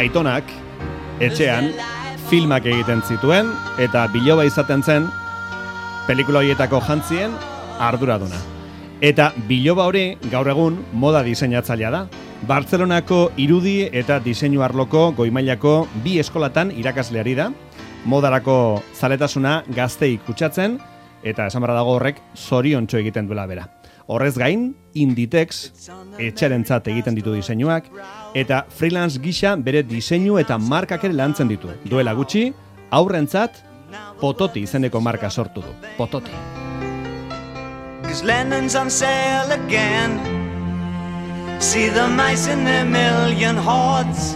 Aitonak etxean filmak egiten zituen eta biloba izaten zen pelikula horietako jantzien arduraduna. Eta biloba hori gaur egun moda diseinatzailea da. Bartzelonako irudi eta diseinu arloko goimailako 2 eskolatan irakasleari da. Modarako zaletasuna gaztei kutsatzen eta esan barra dago horrek zoriontxo egiten duela bera. Horrez gain, Inditex etxarentzat egiten ditu diseinuak eta freelance gisa bere diseinu eta markak ere lantzen ditu. Duela gutxi, aurrentzat Pototi izeneko marka sortu du. Pototi. 'Cause Lennon's on sale again. See the mice in their million hordes.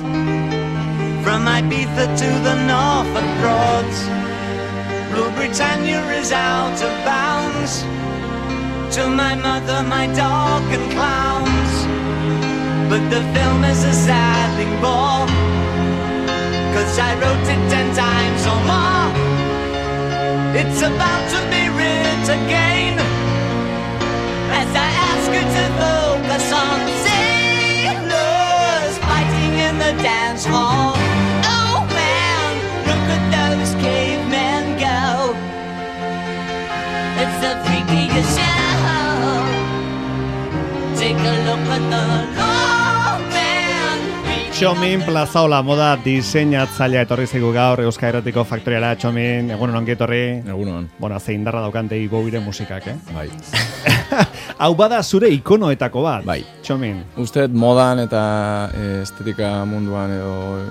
From Ibiza to the Norfolk Broads. Blue Britannia is out of bounds. To my mother, my dog and clowns. But the film is a sad thing more. 'Cause I wrote it 10 times or more. It's about to be writ again. As I ask you to focus on sailors fighting in the dance hall. Oh man, look at those cavemen go. It's the freakiest show. Take a look at the long man. Txomin Plazaola moda diseinatzailea etorri zaigu gaur Euskal Herritiko Faktoriara. Txomin, egunon ongi etorri. Egunon. Bueno, zein darra daukan David Bowieren musikak, Bai. Hau bada zure ikonoetako bat. Bai. Txomin. Uste modan eta estetika munduan edo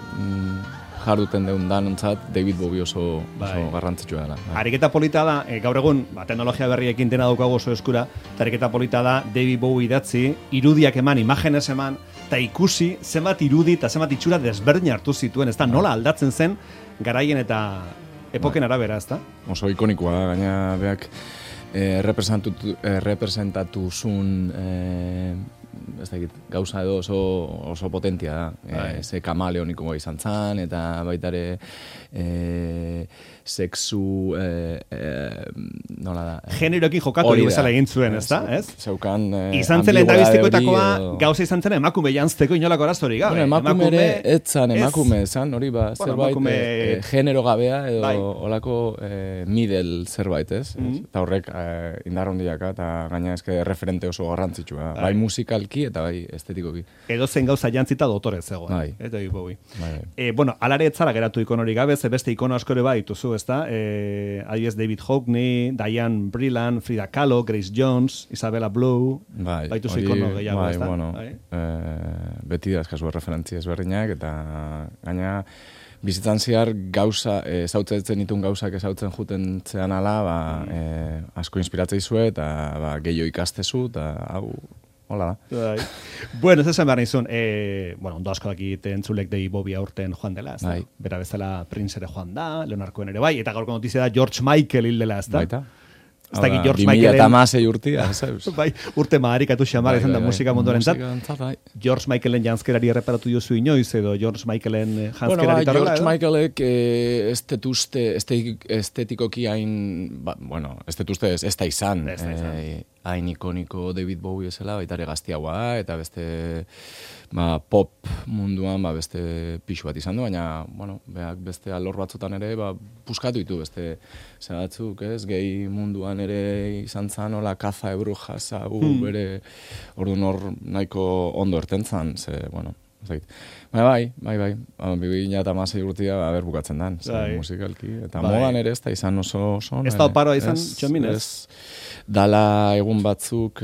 jarduten deun danontzat David Bowie oso garrantzitsua dela. Bai. Ariketa polita da, gaur egun, teknologia berriekin dena daukagu oso eskura, eta ariketa polita da David Bowie idatzi, irudiak eman, imagenez eman, eta ikusi zenbat irudi eta zenbat itxura desberdin hartu zituen, ez da nola aldatzen zen garaien eta epoken arabera, ez da? Oso ikonikoa da, gaina beak representatu zun ez dakit, gauza edo oso potentia da. Ze kamaleonikoa izan zan, eta baitare sexu nola da. Generoekin jokatu bezala egin zuen, ez da? Zeukan izan zen lehendabizikoetakoa gauza izan zen emakume jantzteko inolako araztori gabe. Emakume ere, etzan emakume, zan, hori ba, zerbait genero gabea edo olako middle zerbait, ez? Eta horrek indar handiaka eta gaina eske referente oso garrantzitsua. Bai musikalki eta bai estetikoki. Edo zen gauza jantzita dotorez zegoen. Eta Bowie. Bueno, alare etzara geratu ikonorik gabe, ze beste ikono askore bai dituzu, ezta? Adibidez David Hockney, Diane Brilland, Frida Kahlo, Grace Jones, Isabella Blue, baituzu ikono gehiago, ezta? Bueno, beti da eskazu referentzia ezberdinak eta gaina bizitzan zehar gauza, ezautzen ditun gauzak ezautzen juten zean ala, asko inspiratzei zue eta gehiago ikastezu eta hau hola da. Bueno, ez esan behar nizun, ondo asko dakit entzulek David Bowie aurten joan dela, ez da? Bera bezala Prince ere joan da, Leonard Cohen ere bai, eta gaurko notizia da George Michael hil dela, ez da? Baita. Ez da, George Michaelen... 2006 urtia, bai, urte maharikatu xamar izan da musika munduaren zat. George Michaelen janzkerari erreparatu duzu inoiz, edo George Michaelen janzkerari tarrela, George Michaelek estetikoki hain, estetuzte ez da izan, hain ikoniko David Bowie esela, baitare gaztiagoa eta beste pop munduan beste pixu bat izan du, baina beak beste alor batzutan ere puskatu ditu beste batzuk, ez, gehi munduan ere izan zan, hola, kaza ebru jasa, bere orduan hor nahiko ondo ertentzan, ze, ez dakit. Bai, 2006 urtia bukatzen dan, musikalki, eta modan ere ez da izan oso ez da oparoa izan, Txominez? Dala egun batzuk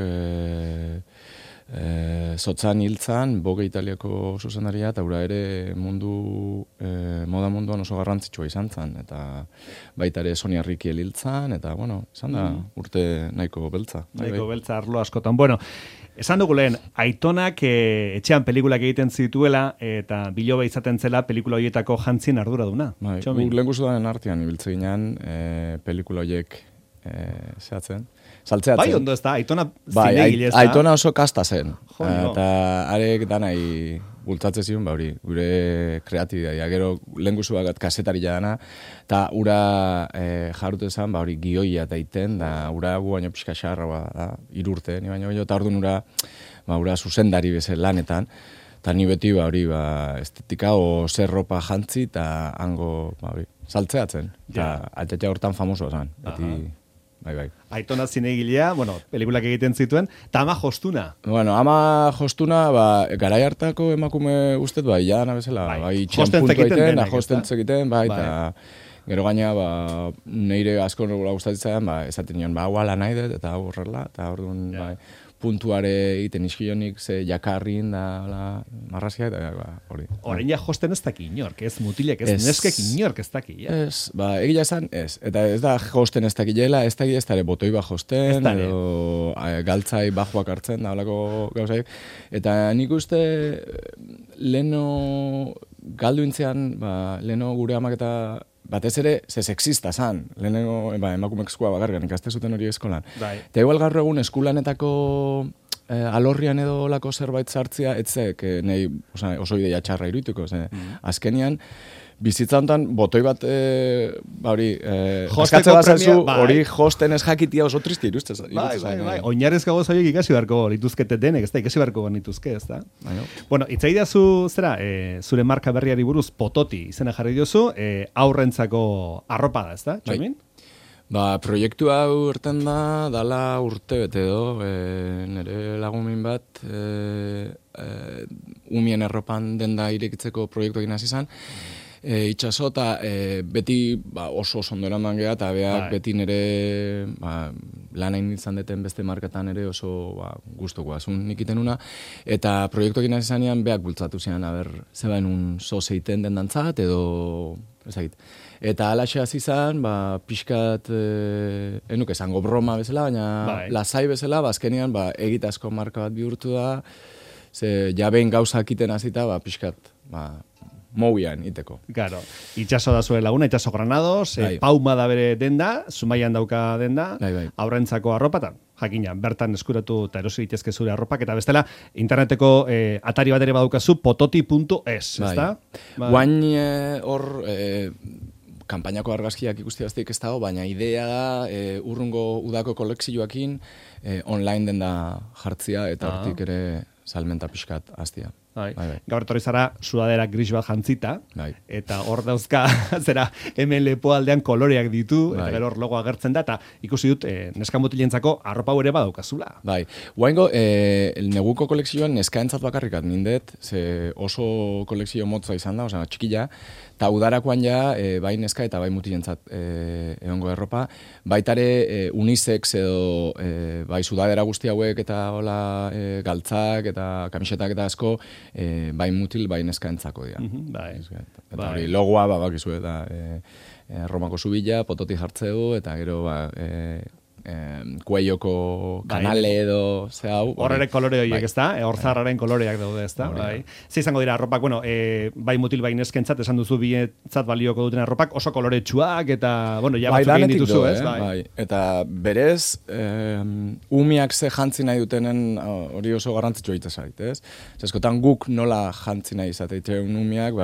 zotzan hiltzan, Vogue Italiako zuzenaria, eta ura ere moda munduan oso garrantzitsua izan zen, eta baita ere Sonia Rykiel hiltzan, eta, izan da urte nahiko beltza. Nahiko beltza arlo askotan. Esan dugu lehen, Aitonak etxean pelikulak egiten zituela, eta biloba izaten zela pelikula horietako jantzien arduraduna. Lehen guzudanen artean ibiltze ginen pelikula horiek zehatzen. Saltzeatzen. Bai, ondo ez da, Aitona zinegile ez da. Aitona oso kasta zen. Eta arek danai bultzatze zion, gure kreatibitatea. Gero lehen guzuak kasetari jadana, eta ura jarrute zen, gioia eta iten, da ura gu baino pixka xarra, 3 urte, ni baino, eta orduan ura zuzendari bezen lanetan. Eta ni beti, hori, estetika o zer ropa jantzi, eta hango, hori, saltzeatzen. Eta altetxe hortan famoso esan. Beti, bai. Aitona zinegilea, pelikulak egiten zituen, eta ama jostuna. Ama jostuna, garai hartako emakume ustez, jana bezala, itxian puntu egiten, jostentzekiten, eta gero gaina, neire asko gustatzen, esaten nion, hau ala nahi dut, eta hau horrela, eta orduan, puntuare egiten iskionik, ze jakarrin da marrazia, eta hori. Orain ja josten ez daki inork, ez mutilek, ez neskek inork ez daki. Ez, egia esan, ez. Eta ez da josten ez dakilela, ez daki ez dara botoi bat josten, edo galtzai bajuak hartzen, da holako gauzaik. Eta nik uste, leno galdu intzean, leno gure amak eta batez ere, ze sexista zan, lehenengo emakumezkoa bakargan ikaste zuten hori eskolan. Eta igual gaur egun eskulanetako alorrian edo lako zerbait sartzea, etzek nahi oso ideia txarra iruituko. Azkenian, bizitza honetan, botoi bat, askatze bat zaizu, hori josten ez jakitia oso tristi iruzte. Oinarrez gagoz horiek ikasi beharko lituzkete denek, ez da, ikasi beharko nituzke, ez da. Itzaidazu, zera, zure marka berriari buruz pototi izena jarri diozu, aurrentzako arropa da, ez da, Txomin? Proiektu hau urten dala urte bete edo, nire lagumin bat, umien erropan denda irekitzeko proiektu egin hasi izan, itxaso eta beti oso ondo eraman geha, eta beak beti nire lan hain izan deten beste marketan ere oso guztoko azun ikiten una, eta proiektu egin hasi zanean beak bultzatu zian, zebaen un sozeiten den dantzat, edo ezagit. Eta alaxe hasi izan, pixkat, enuk esango broma bezala, baina lasai bezala, azkenean egitazko marka bat bihurtu da, ze jabein gauzak iten hasita, pixkat, mobian iteko. Claro. Itxaso da zure laguna, Itxaso Granados, Pauma da bere denda, Zumaian dauka denda, aurrentzako arropatan. Jakina, bertan eskuratu eta erosi ditezke zure arropak, eta bestela, interneteko atari bat ere badaukazu, pototi.es, ezta? Guain hor, kanpainako argazkiak ikusti baztik ez dago, baina idea da, urrungo udako kolekzioakin, online denda jartzia, eta hortik ere salmenta pixkat hastia. Gaur etorri zara sudadera gris bat jantzita, eta hor dauzka, zera, hemen lepoaldean koloreak ditu, eta gero hor logo agertzen da, eta ikusi dut, neskamutilentzako arropa ere badaukazula. Guaingo, neguko kolekzioan neskaentzat bakarrikat nindet, ze oso kolekzio motza izan da, osea, txikila, eta udarakoan ja, bai neska eta bai mutilentzat egongo erropa, baitare unisex edo bai sudadera guzti hauek eta hola galtzak eta kamisetak eta asko, bai mutil, bai neskaentzako dira. Eta hori logoa, bakizu, eta Romako zubila, pototi jartzeu, eta gero, kueioko kanale edo hau. Horrere kolore horiek, ez da? Horzarraren koloreak daude, ez da? Ze izango dira arropak, bai mutil, bai neskentzat, esan duzu bietzat balioko duten arropak, oso koloretsuak, eta, ja batzuk egin dituzu, ez? Eta berez, umiak ze jantzi nahi dutenen hori oso garrantzitsua itazait, ez? Eskotan guk nola jantzi nahi izateitzeun umiak,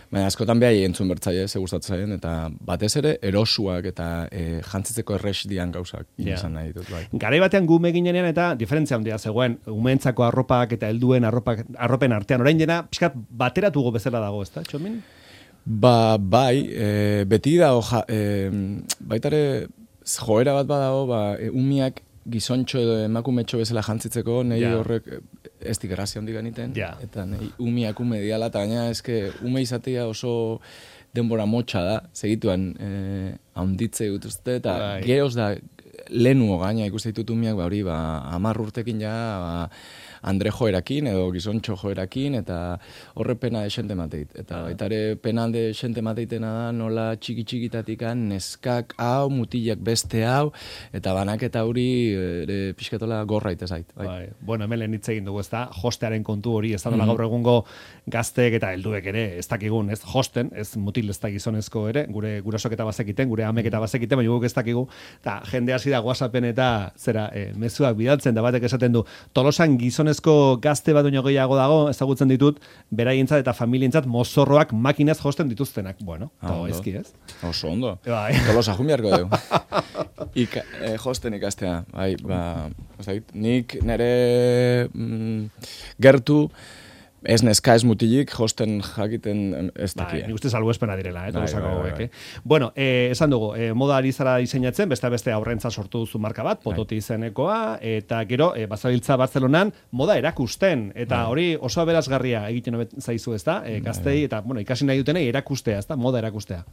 baina askotan behai entzun bertzaile, ze gustatzen, eta batez ere erosuak eta jantzitzeko errex dian gauzak izan nahi ditut. Garai batean gume ginenean eta diferentzia handia zegoen, umeentzako arropak eta helduen arropen artean, orain dena, pixkat bateratugo bezala dago, ez da, Txomin? Beti da, baitare joera bat badago, umiak gizontxo edo emakumetxo bezala jantzitzeko, nahi horrek ez digrazia hondik ganiten, eta nahi umiak ume diala, eta gaina eske ume izatea oso denbora motxa da, segituan haunditze dutuzte, eta geroz da lehenuo gaina ikuste ditut umiak, hori 10 urtekin ja, Andre joerakin edo gizontxo joerakin, eta horre pena esente mateit. Eta baitare pena de esente mateitena da, nola txiki-txikitatikan neskak hau, mutilak beste hau, eta banaketa hori pixkatola gorra itezait. Bueno, hemen lehen hitz egin dugu, ez da, hostearen kontu hori, ez da nola gaur egungo gazteek eta helduek ere, ez dakigun, ez hosten, ez mutil ez da gizonezko ere, gure gurasok eta bazekiten, gure amek eta bazekiten, baina guk ez dakigu, eta jende hasi da WhatsAppen eta zera, mezuak bidaltzen, da batek esaten du, Tolosan gizonezko gazte bat duño gehiago dago, ezagutzen ditut, beraientzat eta familientzat mozorroak makinaz josten dituztenak. Bueno, ezki ez? Oso ondo. Tolosa jumbiarko dugu. Josten ikastea. Nik nire gertu ez neska ez mutilik, josten jakiten ez dakia. Nik uste salbuespena direla, tolosako hauek. Bueno, esan dugu, moda ari zara diseinatzen, beste aurrentza sortu duzu marka bat, Pototi izenekoa, eta gero, bazabiltza Bartzelonan, moda erakusten, eta hori oso aberasgarria egiten zaizu, ez da? Gaztei, eta, ikasi nahi dutenei erakustea, ez da? Moda erakustea.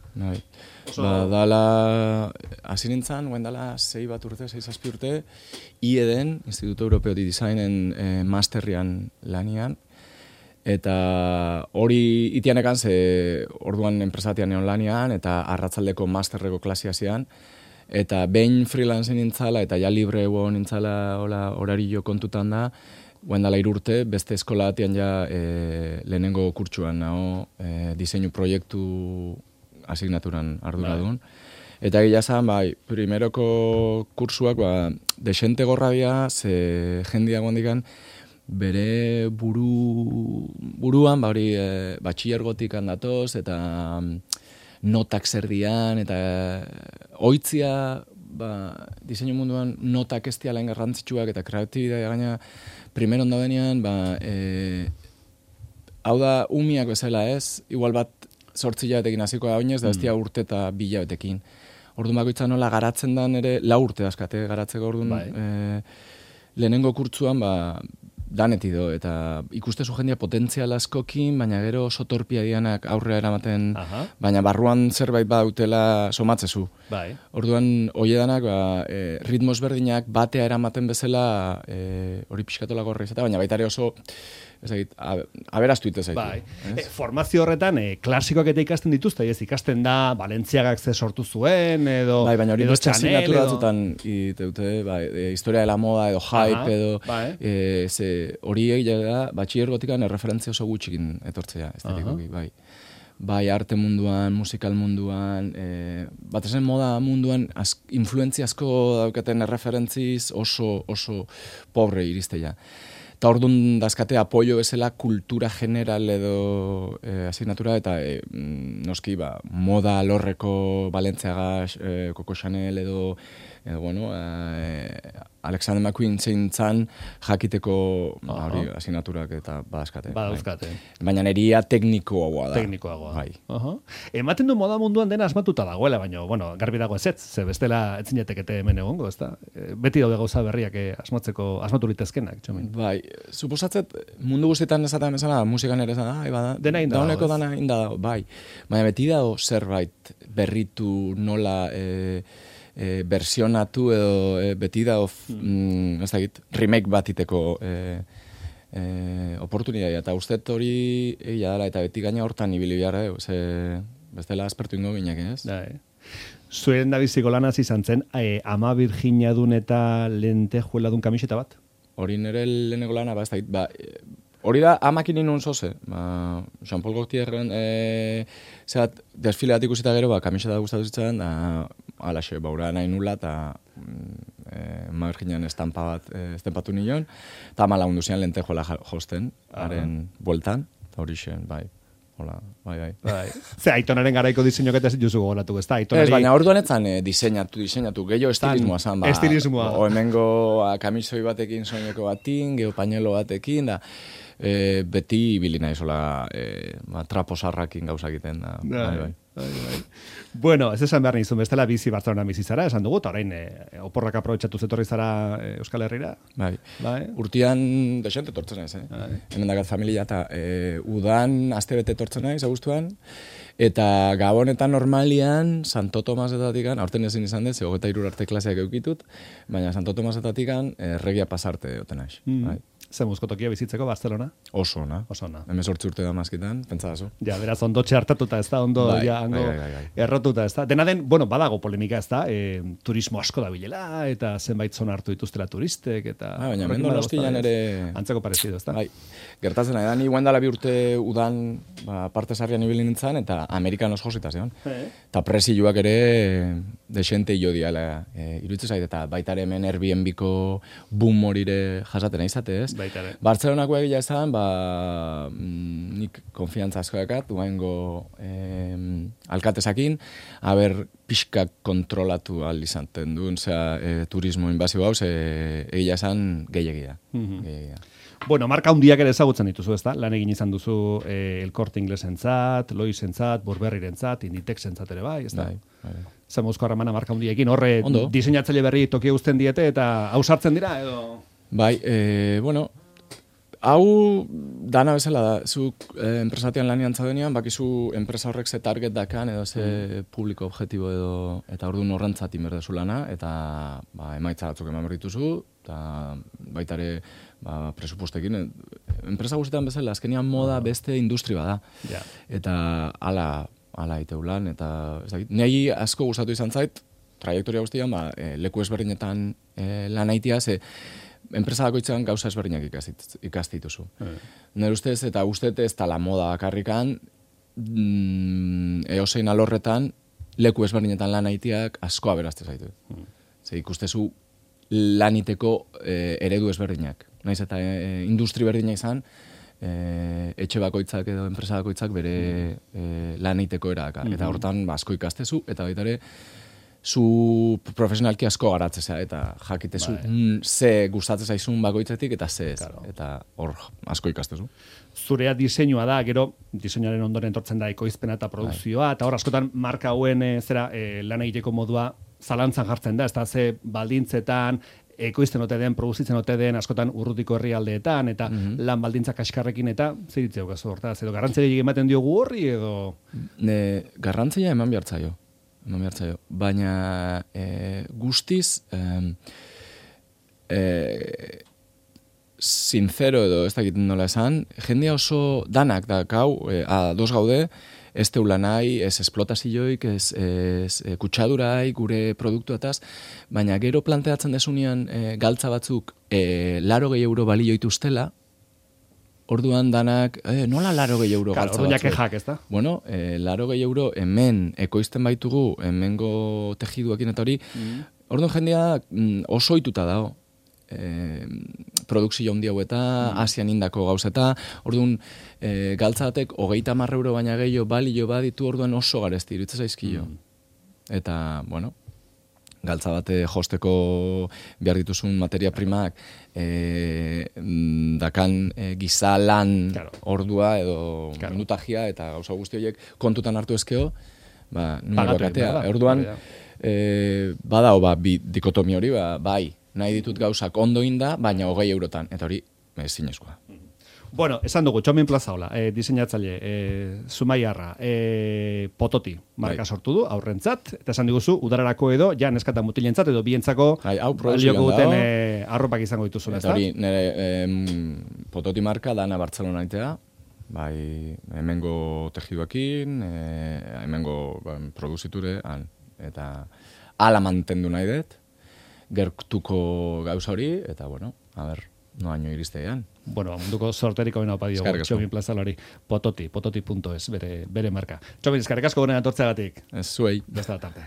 Dala, hasi nintzen, guen dala 6 urte, IEDen, Instituto Europeo de Designen masterrian lanian, eta hori itianekan, ze orduan enpresatian neon lanian, eta arratzaldeko masterreko klasia zian, eta behin freelance nintzala, eta ja libre nintzala horario kontutan da, guendala 3 urte, beste eskola atian ja lehenengo kurtsuan nago diseinu proiektu asignaturan arduradun. Eta egia zan, primeroko kursuak, desente gorrabia, ze jendia gondikan, bere buruan, batxillergotik handatoz, eta notak zer dian, eta oitzia, diseinu munduan notak ez dialain garrantzitsuak, eta kreatibitatea gaina, primeron daudenean, hau da umiak bezala ez, igual bat 8 hilabetekin hasiko da oinez, da ez dia urte eta 2 hilabetekin. Orduan bakoitza nola garatzen dan ere, 4 urte askate garatzeko orduan, lehenengo kurtzuan, daneti do, eta ikustezu jendia potentzial askokin, baina gero oso torpia dianak aurrera eramaten, baina barruan zerbait badautela somatzezu. Orduan, hoiedanak, ritmos berdinak batea eramaten bezala, hori pixkatola gorri izate, baina baita ere oso, aberaztu ite zaitu. Formazio horretan, klasikoak eta ikasten dituzte, ez ikasten da, Balentziagak ze sortu zuen, edo baina hori beste asignatura batzutan iteute, historia de la moda, edo hype, edo, hori egia da, batxillergotikan erreferentzia oso gutxikin etortzea, estetikoki, bai arte munduan, musikal munduan, bat esan moda munduan, influentzia asko daukaten erreferentziz oso pobre irizteia. Eta orduan dazkate apoio bezala kultura general edo asignatura, eta noski moda alorreko Balentziaga, Coco Chanel edo Alexander McQueen zein zan jakiteko asignaturak eta badazkate. Baina neria teknikoagoa da. Teknikoagoa. Ematen du moda munduan dena asmatuta dagoela, baina, garbi dago ez, ze bestela etzinetekete hemen egongo, ez da? Beti daude gauza berriak asmatu litezkenak, txomin. Bai, suposatzet mundu guztietan esaten bezala, musikan ere esan, dena inda dago, dana inda dago, bai. Baina beti dago zerbait berritu nola versionatu edo beti da remake bat iteko oportunitatea, eta ustet hori egia dela, eta beti gaina hortan ibili behar, bestela aspertu ingo ginak, ez? Zuen da biziko lanaz izan zen, ama Virginiadun eta lentejueladun kamiseta bat? Hori nire leheneko lana, hori da amakin inun zoze, Jean-Paul Gaultierren desfileat ikusita gero, kamiseta gustatu zitzen, alaxe, baura nahi nula, eta Virginian estampa bat estenpatu nion, eta ama lagundu zian lentejuela josten, haren bueltan, eta hori zen, bai. Hola, bai. Ze Aitonaren garaiko diseinok eta zituzu gogoratu, ez da? Ez, baina orduan etzan diseinatu, gehiago estilismoa zan, estilismoa. Hemengo kamisoi batekin soineko batin, geho pañuelo batekin, da, beti bilina izola traposarrakin gauza egiten da. Bai. Bueno, ez esan behar nizun, bestela bizi Bartzelonan bizi zara, esan dugu, eta orain oporrak aprobetxatu zetorri zara Euskal Herrira. Bai. Urtian desente tortzen naiz, hemen dakat familia, eta udan astebete tortzen naiz, agustuan, eta gabonetan normalian, Santo Tomasetatik, aurten ezin izan dut, 23 arte klaseak eukitut, baina Santo Tomasetatik regia pasarte oten naiz. Ze muskotokia bizitzeko Barcelona? Oso ona. 18 urte da mazkitan, pentsazu. Ja, beraz, ondo txartatuta ez da, ondo errotuta ez da. Dena den, badago polemika ez da, turismo asko da bilela, eta zenbait zona hartu dituztela turistek, eta... Baina, mendo Donostian ere... Antzeko parezido, ez da? Gertatzen da, ni guendala 2 urte udan parte sarrian ibili nintzen, eta Amerikanos josita zeon. Eta presiluak ere desente jo diala iruditzen zait, eta baita ere hemen Airbnb-ko boom horire jasaten aizate, ez? Bartzelonako egia esan, nik konfiantza asko dakat, duaingo alkatesakin, haber pixka kontrolatu ahal izaten duen, turismo inbazio hau, egia esan gehiagia. Bueno, marka handiak ere ezagutzen dituzu, ezta? Lan egin izan duzu El Corte Inglesentzat, Loisentzat, Burberryrentzat, Inditexentzat ere bai, ezta? Zamuzko harremana marka handiekin, horre diseinatzaile berri tokia uzten diete eta ausartzen dira edo? Bai, bueno, hau dana bezala da, zuk enpresatian lanian zaudenean, bakizu enpresa horrek ze target dakan edo ze publiko objektibo edo, eta orduan horrentzat inberdezu lana, eta emaitza batzuk eman berrituzu, eta baita ere presupuestekin, enpresa guztietan bezala, azkenean moda beste industri bada. Eta ala iteu lan, eta ez dakit, nahi asko gustatu izan zait, trajektoria guztian, leku ezberdinetan lan aitia, ze enpresa bakoitzean gauza ezberdinak ikastituzu. Nire ustez, eta ustez ez tala moda bakarrikan, eosein alorretan, leku ezberdinetan lan aitiak asko aberazte zaitu. Ze ikustezu laniteko eredu ezberdinak. Naiz eta industri berdina izan, etxe bakoitzak edo enpresa bakoitzak bere lan egiteko eraka. Eta hortan asko ikastezu, eta baita ere, zu profesionalki asko garatzea, eta jakitezu ze gustatzen zaizun bakoitzetik eta ze ez. Eta hor asko ikastezu. Zurea diseinua da, gero diseinuaren ondoren etortzen da ekoizpena eta produkzioa, eta hor askotan marka hauen lan egiteko modua zalantzan jartzen da, ez da ze baldintzetan, ekoizten ote den, produzitzen ote den, askotan urrutiko herrialdeetan, eta lan baldintzak kaskarrekin, eta zer ditzeu gazu hortaz, edo garrantzia ematen diogu horri, edo? Garrantzia eman behartzaio, baina guztiz sincero edo ez dakit nola esan, jendea oso danak da gau, ados gaude, ez teula nahi, ez esplotazioik, ez kutsadurai, gure produktuataz, baina gero planteatzen desunean galtza batzuk 80 euro balio ituztela, orduan danak, nola 80 euro galtza batzuk? Orduan jakejak, ez da? Bueno, 80 euro hemen ekoizten baitugu, hemengo tejiduakin eta hori, orduan jendea oso ituta dago. Produkzio handi hau eta Asian indako gauzeta, orduan galtza batek 30 euro baina gehiago balio baditu, orduan oso garesti iruditzen zaizkio. Eta, bueno, galtza bate josteko behar dituzun materia primak dakan gizalan ordua edo minutagia eta gauza guzti horiek kontutan hartu ezkeo, nungoak atea. Orduan, badao, dikotomi hori, bai, nahi ditut gauzak ondo inda, baina 20 eurotan, eta hori zinezkoa. Bueno, esan dugu, Txomin Plazaola, diseinatzaile, Zumaiarra, Pototi marka sortu du, aurrentzat, eta esan diguzu, udararako edo, ja neskata mutilentzat, edo bientzako balioko duten arropak izango dituzula, ez da? Eta hori, nire Pototi marka dana Bartzelona itea, bai, hemengo tejiduakin, hemengo produziture, eta ala mantendu nahi dut, gertuko gauza hori, eta, bueno, a ber, noaino iristean. Bueno, munduko sorteriko bena opa diogu, Txomin Plazalari, pototi.es, bere marka. Txomin, eskarrik asko gonen atortzeagatik. Ez zuei. Besta da tarte.